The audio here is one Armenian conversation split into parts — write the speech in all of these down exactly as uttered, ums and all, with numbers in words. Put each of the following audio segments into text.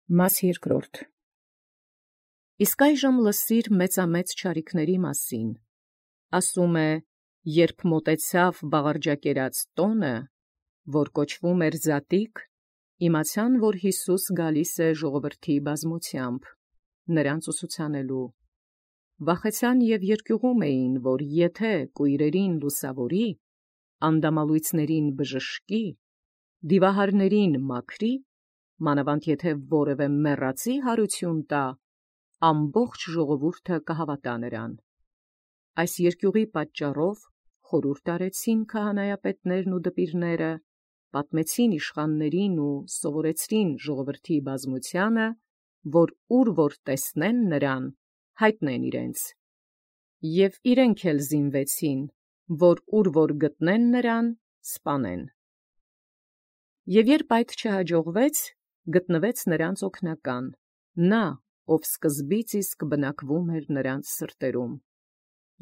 Մաս երկրորդ. Իսկ այժմ լսիր մեծամեծ չարիքների մասին. ասում է, երբ մոտեցավ բաղարջակերած տոնը, որ կոչվում էր Զատիկ, իմացան, որ Յիսուս գալիս է ժողովրդի բազմութեամբ, նրանց ուսուցանելու. վախեցան և երկյուղում էին, որ եթե կույրերին լուսավորի, անդամալույցներին բժշկի, դիվահարներին մաքրի, մանավանդ եթե որևէ մեռածի հարություն տա, ամբողջ ժողովուրդը կհավատա նրան։ Այս երկյուղի պատճառով խորհուրդ արեցին քահանայապետներն ու դպիրները, պատմեցին իշխաններին ու սովորեցրին ժողովրդի բազմությանը, որ ուր որ տեսնեն նրան, հայտնեն իրենց։ Եւ իրենք էլ զինվեցին, որ ուր որ գտնեն նրան, սպանեն։ Եւ երբ այդ չհաջողվեց, գտնվեց նրանց օգնական, նա, ով սկզբից իսկ բնակվում էր նրանց սրտերում։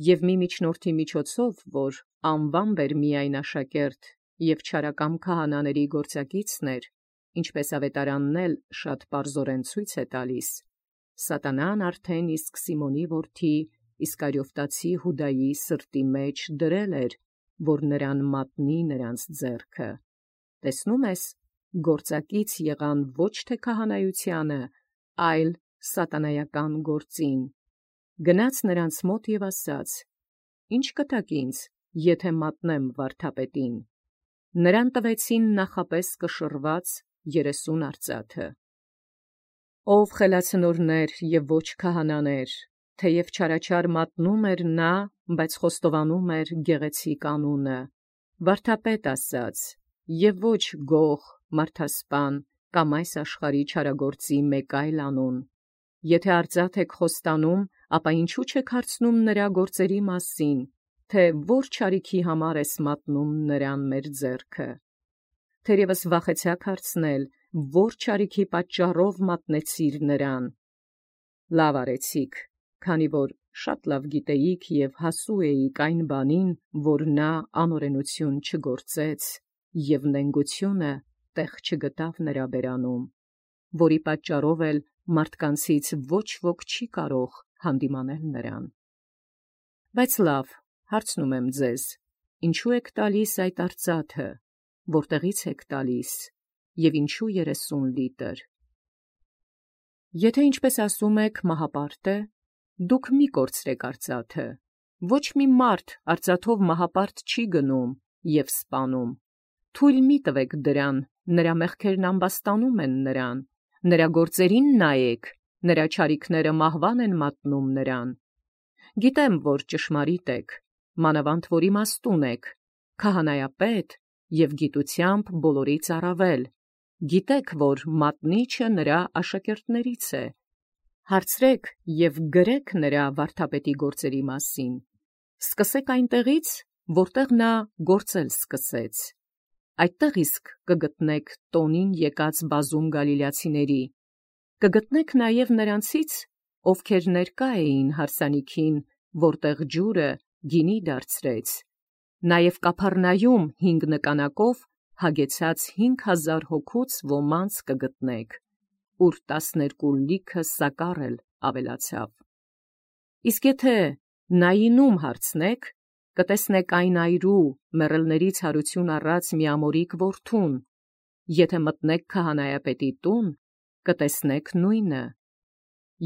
Եւ մի միջնորդի միջոցով, որ անվամբ էր միայն աշակերտ և չարակամ քահանաների գործակիցն էր, ինչպես ավետարանն էլ շատ պարզորեն ցույց է տալիս, սատանան արդեն իսկ Սիմոնի որդի Իսկարիովտացի Յուդայի սրտի մեջ դրել էր, որ նրան մատնի նրանց ձեռքը։ Տեսնում ես, գործակից եղան ոչ թե քահանայությանը, այլ սատանայական գործին։ Գնաց նրանց մոտ և ասաց. «Ի՞նչ կտաք ինձ, եթե մատնեմ վարդապետին»։ Նրան տվեցին նախապես կշռված երեսուն արծաթը։ Ով խելացնորներ և ոչ քահանաներ, թեև չարաչար մատնում էր նա, բայց խոստովանում էր գեղեցիկ անունը, վարդապետ ասաց, և ոչ գող, մարդասպան կամ այս աշխարհի չարագործի մեկ այլ անուն։ Եթե արծաթ եք խոստանում, ապա ինչու չեք հարցնում նրա գործերի մասին, թե ո՛ր չարիքի համար ես մատնում նրան մեր ձեռքը։ Թերևս վախեցաք հարցնել, ո՛ր չարիքի պատճառով մատնեցիր նրան։ Լավ արեցիք, քանի որ շատ լավ գիտեիք և հասու էիք այն բանին, որ նա անօրենություն չգործեց, և նենգությունը տեղ չգտավ նրա բերանում, որի պատճառով էլ մարդկանցից ոչ ոք չի կարող հանդիմանել նրան։ Բայց լավ, հարցնում եմ ձեզ, ինչո՞ւ եք տալիս այդ արծաթը, որտեղի՞ց եք տալիս, և ինչու երեսուն լիտր։ Եթե ինչպես ասում եք մահապարտ է, դուք մի կորցրեք արծաթը, ոչ մի մարդ արծաթով մահապարտ չի գնում և սպանում, թույլ մի տվեք դրան, նրա մեղքերն ամբաստանում են նրան, նրա գործերին նայեք, նրա չարիքները մահվան են մատնում նրան։ Գիտեմ, որ ճշմարիտ եք, մանավանդ որ իմաստուն եք, քահանայապետ և գիտությամբ բոլորից առավել, գիտեք, որ մատնիչը նրա աշակերտներից է։ Հարցրեք և գրեք նրա վարդապետի գործերի մասին, սկսեք այնտեղից, որտեղ նա գործել սկսեց։ Այդտեղ իսկ կգտնեք տոնին եկած բազում գալիլացիների, կգտնեք նաև նրանցից, ովքեր ներկա էին հարսանիքին, որտեղ ջուրը գինի դարձրեց, նաև Կափառնայում հինգ նկանակով հագեցած հինգ հազար հոգուց ոմանց կգտնեք, ուր տասներկու լիքը սակառ էլ ավելացավ։ Իսկ եթե Նայինում հարցնեք, կտեսնեք այն այրու մեռելներից հարություն առած միամորիկ որդուն, եթե մտնեք քահանայապետի տուն, կտեսնեք նույնը։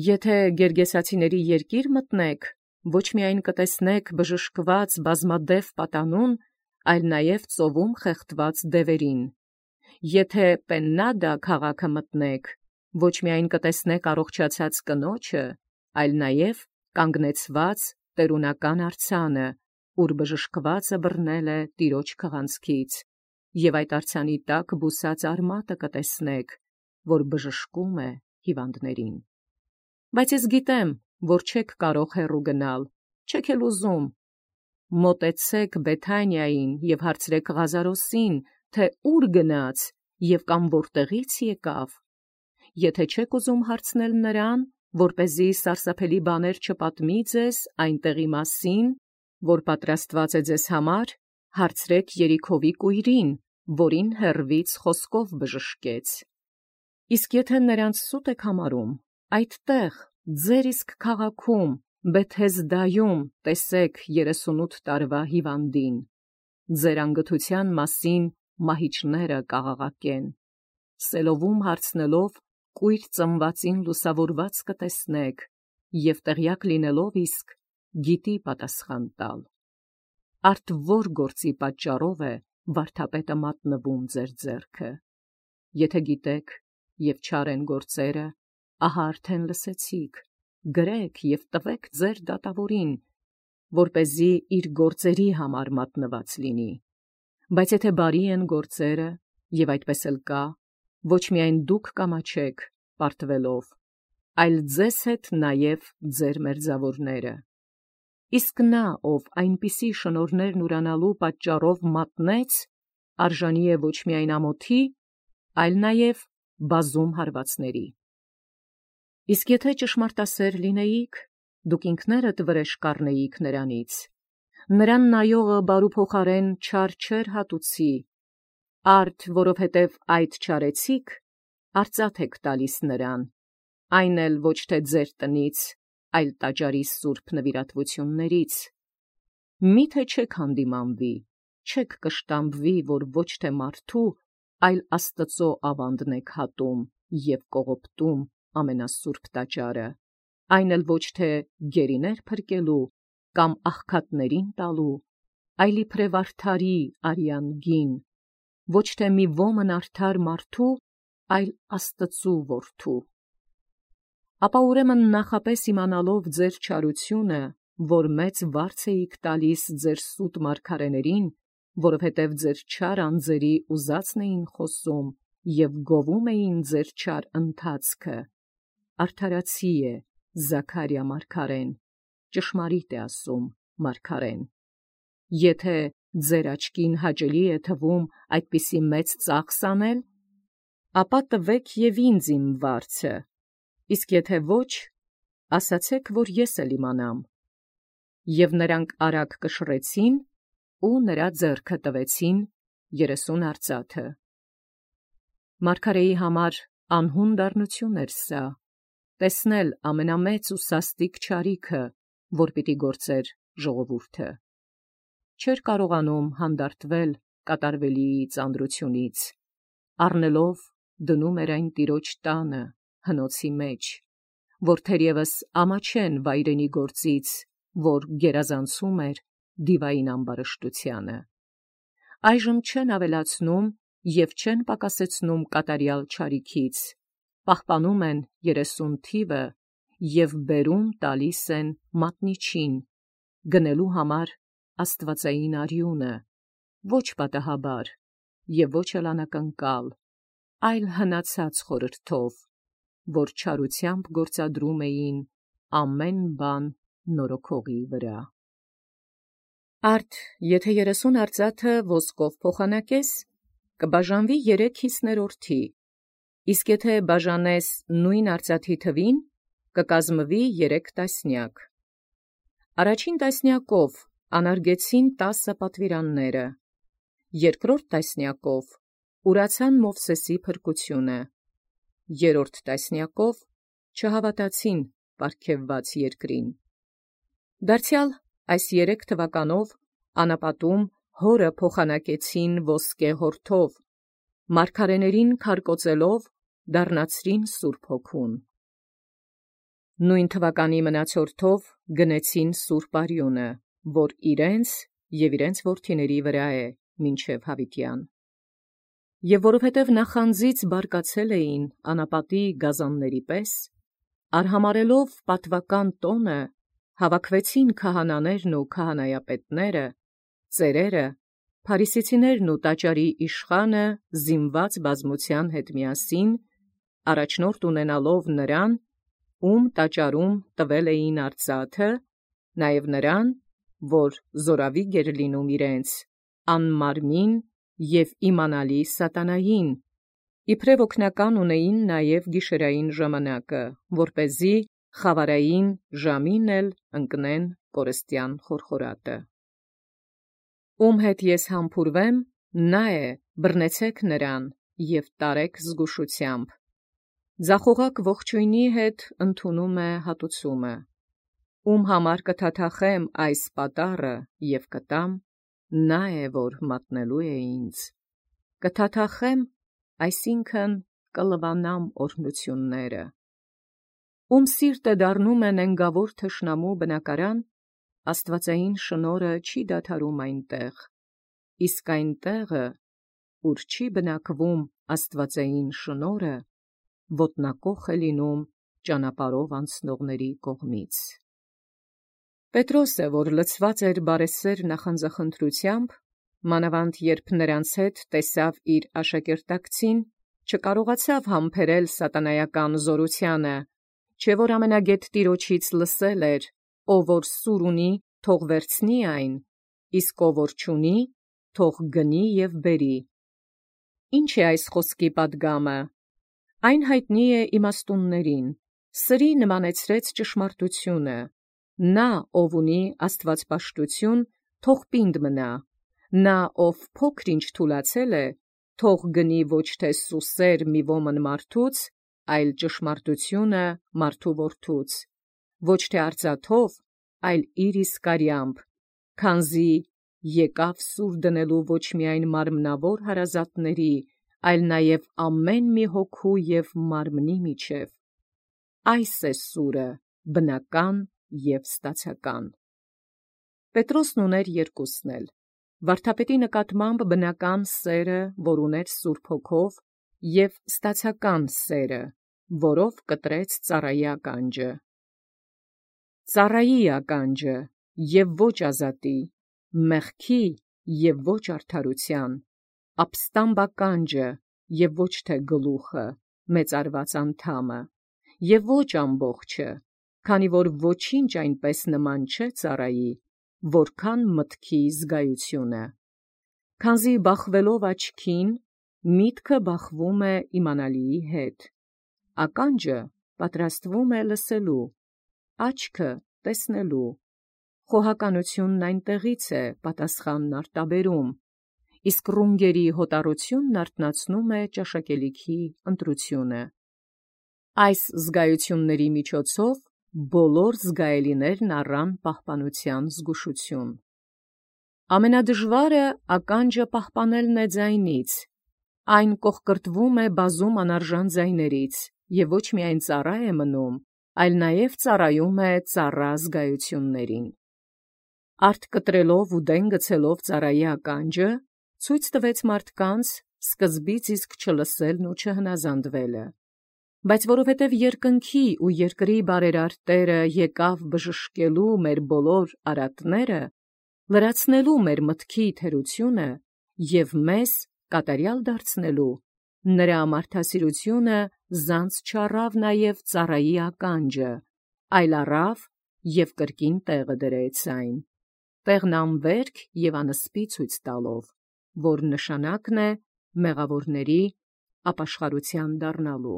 Եթե Գերգեսացիների երկիր մտնեք, ոչ միայն կտեսնեք բժշկված բազմադև պատանուն, այլ նաև ծովում խեղդված դևերին։ Եթե Պեննադա քաղաքը մտնեք, ոչ միայն կտեսնեք առողջացած կնոջը, այլ նաև կանգնեցված տերունական արձանը, ուր բժշկվածը բռնել է տիրոջ քղանցքից, և այդ արձանի տակ բուսած արմատը կտեսնեք, որ բժշկում է հիվանդներին։ Բայց ես գիտեմ, որ չեք կարող հեռու գնալ, չեք էլ ուզում։ Մոտեցեք Բեթանիային և հարցրեք Ղազարոսին, թե ուր գնաց և կամ որտեղից եկավ։ Եթե չեք ուզում հարցնել նրան, որպեսզի սարսափելի բաներ չպատմի ձեզ այն տեղի մասին, որ պատրաստված է ձեզ համար, հարցրեք Երիքովի կույրին, որին հեռվից խոսքով բժշկեց։ Իսկ եթե նրանց սուտ եք համարում, այդտեղ, ձեր իսկ քաղաքում, Բեթհեզդայում տեսեք երեսունութ տարվա հիվանդին, ձեր անգթության մասին մահիճները կաղաղակեն, սելովում հարցնելով կույր ծնվածին լուսավորված կտեսնեք, և տեղյակ լինելով իսկ գիտի պատասխան տալ։ Արդ որ գործի պատճառով է վարդապետը մատնվում ձեր ձեռքը։ Եթե գիտեք և չար են գործերը, ահա արդեն լսեցիք, գրեք և տվեք ձեր դատավորին, որպեսզի իր գործերի համար մատնված լինի։ Բայց եթե բարի են գործերը, և այդպես էլ կա, ոչ միայն դուք կամաչեք պարտվելով, այլ ձեզ հետ նաև ձեր մերձավորները։ Իսկ նա, ով այնպիսի շնորհներն ուրանալու պատճառով մատնեց, արժանի է ոչ միայն ամոթի, այլ նաև բազում հարվածների։ Իսկ եթե ճշմարտասեր լինեիք, դուք ինքներդ վրեժ կառնեիք նրանից, նրան նայողը բարուփոխարեն չար չէր հատուցի, արդ որովհետև այդ չարեցիք, արծաթ եք տալիս նրան, այն էլ ոչ թե ձեր տնից, այլ տաճարի սուրբ նվիրատվություններից։ Մի՞թե չեք հանդիմանվի, չեք կշտամբվի, որ ոչ թե մարդու, այլ Աստծո ավանդն եք հատում և կողոպտում ամենասուրբ տաճարը, այն էլ ոչ թե գերիներ փրկելու կամ աղքատներին տալու, այլ իբրև արդարի արյան գին, ոչ թե մի ոմն արդար մարդու, այլ Աստծու որդու։ Ապա ուրեմն նախապես իմանալով ձեր չարությունը, որ մեծ վարձ էիք տալիս ձեր սուտ մարգարեներին, որովհետև ձեր չար անձերի ուզածն էին խոսում և գովում էին ձեր չար ընթացքը, արդարացի է Զաքարիա մարգարեն, ճշմարիտ է ասում մարգարեն։ Եթե ձեր աչքին հաճելի է թվում այդպիսի մեծ ծախս անել, ապա տվեք և ինձ իմ վարձը, իսկ եթե ոչ, ասացեք, որ ես էլ իմանամ։ Եվ նրանք արագ կշռեցին ու նրա ձեռքը տվեցին երեսուն արծաթը։ Մարգարեի համար անհուն դառնություն էր սա, տեսնել ամենամեծ ու սաստիկ չարիքը, որ պիտի գործեր ժողովուրդը։ Չէր կարողանում հանդարտվել կատարվելիի ծանրությունից, առնելով դնում էր այն տիրոջ տանը, հնոցի մեջ, որ թերևս ամաչեն վայրենի գործից, որ գերազանցում էր դիվային ամբարշտությանը։ Այժմ չեն ավելացնում և չեն պակասեցնում կատարյալ չարիքից, պահպանում են երեսուն թիվը և բերում տալիս են մատնիչին, գնելու համար աստվածային արյունը, ոչ պատահաբար և ոչ էլ անակնկալ, այլ հնացած խորհրդով, որ չարությամբ գործադրում էին ամեն բան նորոգողի վրա։ Արդ եթե երեսուն արծաթը ոսկով փոխանակես, կբաժանվի երեք հիսներորդի, իսկ եթե բաժանես նույն արծաթի թվին, կկազմվի երեք տասնյակ։ Առաջին տասնյակով անարգեցին տասը պատվիրանները, երկրորդ տասնյակով ուրացան Մովսեսի փրկությունը, երրորդ տասնյակով չհավատացին պարգևված երկրին։ Դարձյալ այս երեք թվականով անապատում հորը փոխանակեցին ոսկե հորթով, մարգարեներին քարկոծելով դառնացրին Սուրբ Հոգուն։ Նույն թվականի մնացորդով գնեցին սուրբ արյունը, որ իրենց և իրենց որդիների վրա է մինչև հավիտյան։ Եվ որովհետև նախանձից բարկացել էին անապատի գազանների պես, արհամարհելով պատվական տոնը, հավաքվեցին քահանաներն ու քահանայապետները, ծերերը, փարիսեցիներն ու տաճարի իշխանը զինված բազմության հետ միասին, առաջնորդ ունենալով նրան, ում տաճարում տվել էին արծաթը, նաև նրան, որ զորավիգ էր լինում իրենց, անմարմին և իմանալի սատանային, իբրև օգնական ունեին նաև գիշերային ժամանակը, որպեսզի խավարային ժամին էլ ընկնեն կորստյան խորխորատը։ Ում հետ ես համբուրվեմ, նա է, բռնեցեք նրան և տարեք զգուշությամբ, Ձախողակ ողջույնի հետ ընդունում է հատուցումը, ում համար կթաթախեմ այս պատառը և կտամ, նա է, որ մատնելու է ինձ։ Կթաթախեմ, այսինքն կլվանամ օրհնությունները։ Ում սիրտը դառնում է նենգավոր թշնամու բնակարան, աստվածային շնորհը չի դադարում այնտեղ, իսկ այն տեղը, ուր չի բնակվում աստվածային շնորհը, ոտնակոխ է լինում ճանապարհով անցնողների կողմից։ Պետրոսը, որ լցված էր բարեսեր նախանձախնդրությամբ, մանավանդ երբ նրանց հետ տեսավ իր աշակերտակցին, չկարողացավ համբերել սատանայական զորությանը, չէ որ ամենագետ Տիրոջից լսել էր. «Ով որ սուր ունի, թող վերցնի այն, իսկ ով որ չունի, թող գնի և բերի»։ Ինչ է այս խոսքի պատգամը։ Այն հայտնի է իմաստուններին, սրի նմանեցրեց ճշմարտությունը. նա, ով ունի աստվածպաշտություն, թող պինդ մնա, նա, ով փոքր-ինչ թուլացել է, թող գնի ոչ թե սուսեր մի ոմն մարդուց, այլ ճշմարտությունը մարդու որդուց, ոչ թե արծաթով, այլ իր իսկ արյամբ, քանզի եկավ սուր դնելու ոչ միայն մարմնավոր հարազատների, այլ նաև ամեն մի հոգու և մարմնի միջև։ Այս է սուրը, բնական և ստացական։ Պետրոսն ուներ երկուսն էլ. վարդապետի նկատմամբ բնական սերը, որ ուներ Սուրբ Հոգով, և ստացական սերը, որով կտրեց ծառայի ականջը։ Ծառայի ականջը և ոչ ազատի, մեղքի և ոչ արդարության, ապստամբ ականջը և ոչ թե գլուխը, մեծարված անդամը, և ոչ ամբողջը, քանի որ ոչինչ այնպես նման չէ ծառայի, որքան մտքի զգայությունը։ Քանզի բախվելով աչքին, միտքը բախվում է իմանալիի հետ, ականջը պատրաստվում է լսելու, աչքը տեսնելու, խոհականությունն այնտեղից է պատասխանն արտաբերում, իսկ ռունգերի հոտառությունն արթնացնում է ճաշակելիքի ընտրությունը։ Այս զգայությունների միջոցով բոլոր զգայելիներն առան պահպանության զգուշություն։ Ամենադժվարը ականջը պահպանելն է ձայնից, այն կոխկրտվում է բազում անարժան ձայներից, և ոչ միայն ծառա է մնում, այլ նաև ծառայում է ծառա զգայություններին։ Արդ կտրելով ու դեն գցելով ծառայի ականջը, ցույց տվեց մարդկանց սկզբից իսկ չլսելն ու չհնազանդվելը։ Բայց որովհետև երկնքի ու երկրի բարերար Տերը եկավ բժշկելու մեր բոլոր արատները, լրացնելու մեր մտքի թերությունը և մեզ կատարյալ դարձնելու, նրա մարդասիրությունը զանց չառավ նաև ծառայի ականջը, այլ առավ և կրկին տեղը դրեց այն, տեղն անվերք և անսպի ցույց տալով, որ նշանակն է մեղավորների ապաշխարության դառնալու։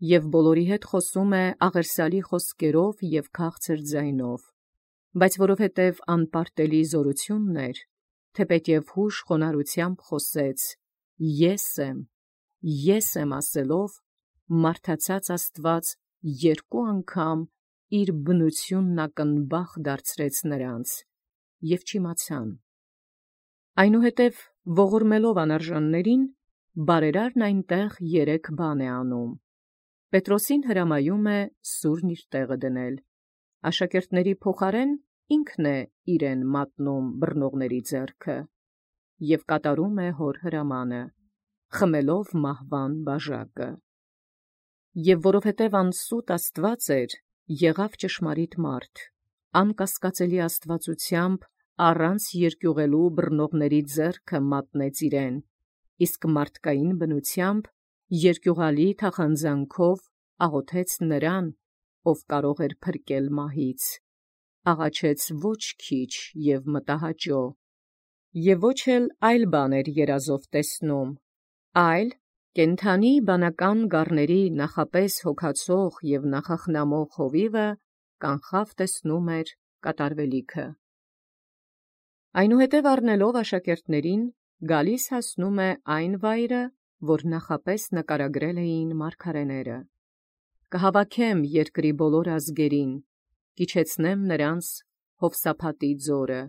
Եվ բոլորի հետ խոսում է աղերսալի խոսքերով և քաղցր ձայնով, բայց որովհետև անպարտելի զորությունն էր, թեպետև հուժ խոնարհությամբ խոսեց. «Ես եմ, ես եմ» ասելով, մարդացած Աստված երկու անգամ իր բնությունն ակնբախ դարձրեց նրանց, և չիմացան։ Այնուհետև ողորմելով անարժաններին, բարերարն այնտեղ երեք բան է անում. Պետրոսին հրամայում է սուրն իր տեղը դնել, աշակերտների փոխարեն ինքն է իրեն մատնում բռնողների ձեռքը, և կատարում է հոր հրամանը, խմելով մահվան բաժակը։ Եվ որովհետև անսուտ Աստված էր, եղավ ճշմարիտ մարդ, անկասկածելի աստվածությամբ առանց երկյուղելու բռնողների ձեռքը մատնեց իրեն, իսկ մարդկային բնությամբ երկյուղալի թախանձանքով աղոթեց նրան, ով կարող էր փրկել մահից, աղաչեց ոչ քիչ և մտահաճո, և ոչ էլ այլ բան էր երազով տեսնում, այլ կենդանի բանական գառների նախապես հոգացող և նախախնամող հովիվը կանխավ տեսնում էր կատարվելիքը։ Այնուհետև առնելով աշակերտներին, գալիս հասնում է այն վայրը, որ նախապես նկարագրել էին մարգարեները։ Կհավաքեմ երկրի բոլոր ազգերին, կիչեցնեմ նրանց Հովսափատի ձորը,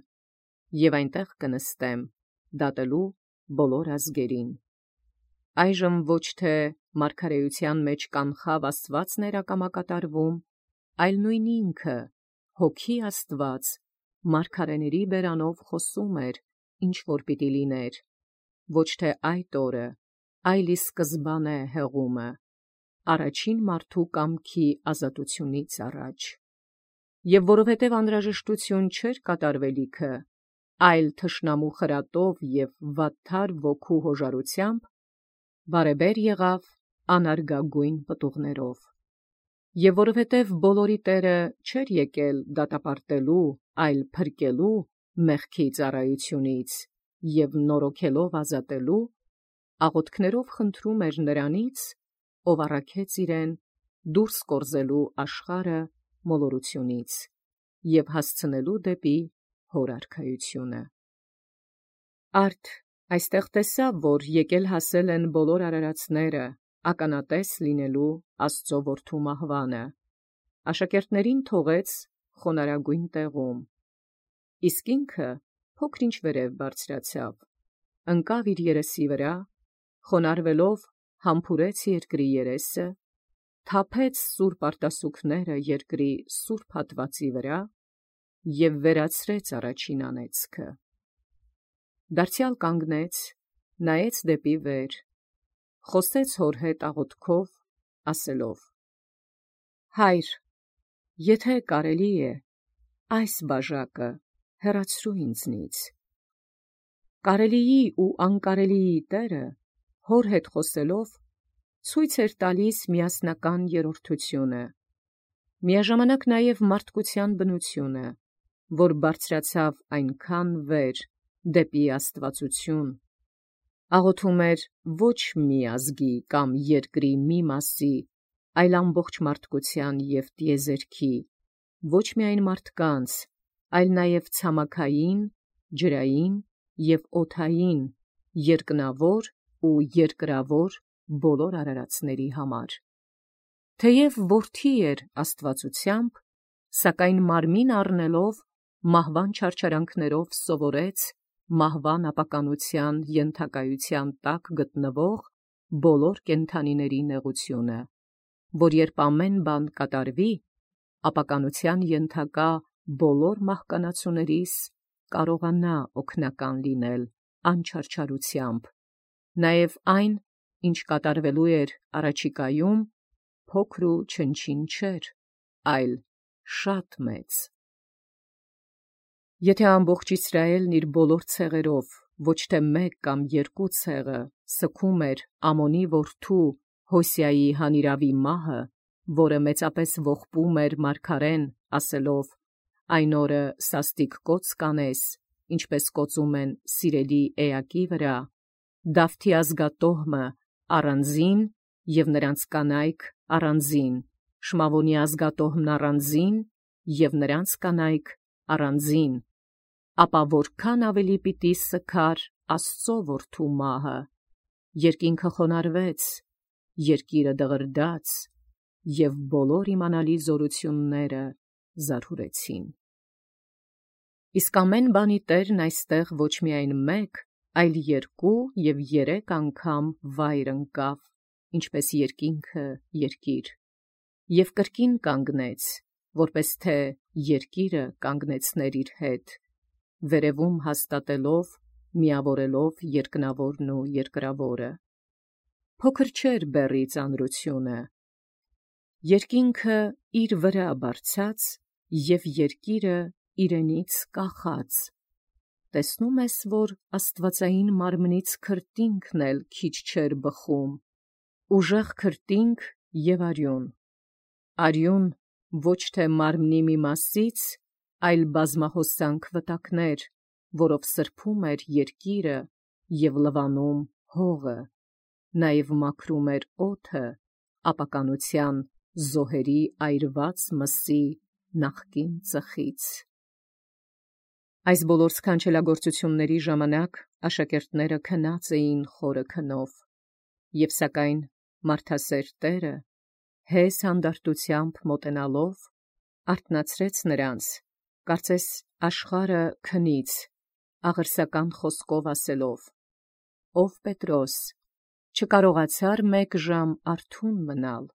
և այնտեղ կնստեմ, դատելու բոլոր ազգերին։ Այժմ ոչ թե մարգարեության մեջ կանխավ Աստվածն էր ակամակատարվում, այլ նույն ինքը, հոգի Աստված, մարգարեների բերանով խոսում էր, ինչ որ պիտի լիներ, ոչ թե այդ օրը, այլ ի սկզբանե հեղումը, առաջին մարդու կամքի ազատությունից առաջ։ Եվ որովհետև անհրաժեշտություն չէր կատարվելիքը, այլ թշնամու խրատով և վատթար ոգու հոժարությամբ, բարեբեր եղավ անարգագույն պտուղներով։ Եվ որովհետև բոլորի Տերը չէր եկել դատապարտելու, այլ փրկելու մեղքի ծառայությունից և նորոգելով ազատելու, աղոթքներով խնդրում էր նրանից, ով առաքեց իրեն դուրս կորզելու աշխարհը մոլորությունից և հասցնելու դեպի հոր արքայությունը։ Արդ այստեղ տեսավ, որ եկել հասել են բոլոր արարածները, ականատես լինելու Աստծու որդու մահվանը, աշակերտներին թողեց խոնարհագույն տեղում, իսկ ինքը փոքր-ինչ վերև բարձրացավ, ընկավ իր երեսի վրա, խոնարհվելով համբուրեց երկրի երեսը, թափեց սուրբ արտասուքները երկրի սուրբ հատվածի վրա և վերացրեց առաջին անեծքը։ Դարձյալ կանգնեց, նայեց դեպի վեր, խոսեց հոր հետ աղոթքով, ասելով. «Հայր, եթե կարելի է, այս բաժակը հեռացրու ինձնից»։ Կարելիի ու անկարելիի Տերը, հոր հետ խոսելով, ցույց էր տալիս միասնական երրորդությունը, միաժամանակ նաև մարդկության բնությունը, որ բարձրացավ այնքան վեր, դեպի աստվածություն, աղոթում էր ոչ մի ազգի կամ երկրի մի մասի, այլ ամբողջ մարդկության և տիեզերքի, ոչ միայն մարդկանց, այլ նաև ցամաքային, ջրային և օդային, երկնավոր ու երկրավոր բոլոր արարածների համար։ Թեև որդի էր աստվածությամբ, սակայն մարմին առնելով, մահվան չարչարանքներով սովորեց մահվան ապականության ենթակայության տակ գտնվող բոլոր կենդանիների նեղությունը, որ երբ ամեն բան կատարվի, ապականության ենթակա բոլոր մահկանացուներիս կարողանա օգնական լինել անչարչարությամբ, նաև այն, ինչ կատարվելու էր առաջիկայում, փոքր ու չնչին չէր, այլ շատ մեծ։ Եթե ամբողջ Իսրայելն իր բոլոր ցեղերով, ոչ թե մեկ կամ երկու ցեղը, սգում էր Ամոնի որդու Հոսիայի հանիրավի մահը, որը մեծապես ողբում էր մարգարեն, ասելով. «Այն օրը սաստիկ կոծ կանես, ինչպես կոծում են սիրելի էակի վրա, Դավթի ազգատոհմը առանձին և նրանց կանայք առանձին, Շմավոնի ազգատոհմն առանձին և նրանց կանայք առանձին, ապա որքան ավելի պիտի սգար Աստծու որդու մահը, երկինքը խոնարհվեց, երկիրը դղրդաց, և բոլոր իմանալի զորությունները զարհուրեցին»։ Իսկ ամեն բանի Տերն այստեղ ոչ միայն մեկ, այլ երկու և երեք անգամ վայր ընկավ, ինչպես երկինքը երկիր, և կրկին կանգնեց, որպես թե երկիրը կանգնեցներ իր հետ, վերևում հաստատելով, միավորելով երկնավորն ու երկրավորը։ Փոքր չէր բեռի ծանրությունը, երկինքը իր վրա բարձած և երկիրը իրենից կախած։ Տեսնո՞ւմ ես, որ աստվածային մարմնից քրտինքն էլ քիչ չէր բխում, ուժեղ քրտինք և արյուն, արյուն ոչ թե մարմնի մի մասից, այլ բազմահոսանք վտակներ, որով սրբում էր երկիրը և լվանում հողը, նաև մաքրում էր օդը ապականության զոհերի այրված մսի նախկին ծխից։ Այս բոլոր սքանչելագործությունների ժամանակ աշակերտները քնած էին խորը քնով, Եվ սակայն մարդասեր Տերը հեզ հանդարտութեամբ մոտենալով արթնացրեց նրանց, կարծես աշխարհը քնից, աղերսական խոսքով ասելով. «Ով Պետրոս, չկարողացար մեկ ժամ արթուն մնալ։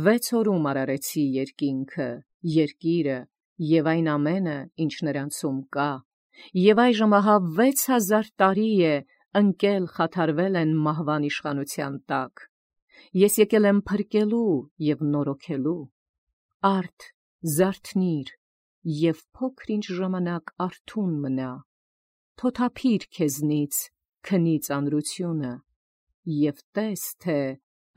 Վեց օրում արարեցի երկինքը, երկիրը և այն ամենը, ինչ նրանցում կա, և այժմ ահա վեց հազար տարի է ընկել խաթարվել են մահվան իշխանության տակ։ Ես եկել եմ փրկելու և նորոգելու։ Արդ, զարթնի՛ր և փոքր-ինչ ժամանակ արթուն մնա, թոթափի՛ր քեզնից քնի ծանրությունը և տես, թե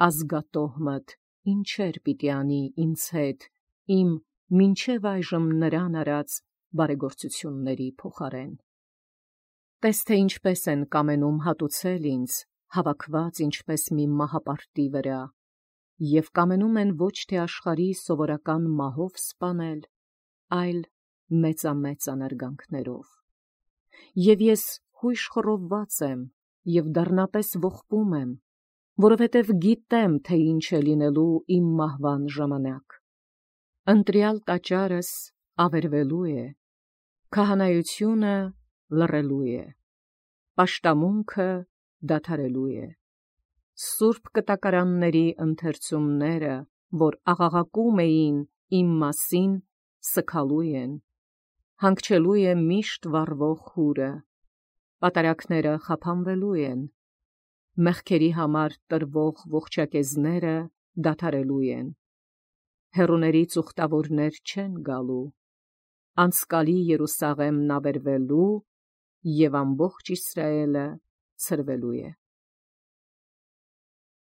ազգատոհմդ ինչեր պիտի անի ինձ հետ իմ մինչև այժմ նրան արած բարեգործությունների փոխարեն։ Տես, թե ինչպես են կամենում հատուցել ինձ, հավաքված ինչպես մի մահապարտի վրա, և կամենում են ոչ թե աշխարհի սովորական մահով սպանել, այլ մեծամեծ անարգանքներով։ Եվ ես հույժ խռովված եմ և դառնապես ողբում եմ, որովհետև գիտեմ, թե ինչ է լինելու իմ մահվան ժամանակ։ Ընտրյալ տաճարս ավերվելու է, քահանայությունը լռելու է, պաշտամունքը դադարելու է, սուրբ կտակարանների ընթերցումները, որ աղաղակում էին իմ մասին, սգալու են, հանգչելու է միշտ վառվող հուրը, պատարագները խափանվելու են, մեղքերի համար տրվող ողջակեզները դադարելու են, հեռուներից ուխտավորներ չեն գալու, անցկալի Երուսաղեմն ավերվելու և ամբողջ Իսրայելը ցրվելու է։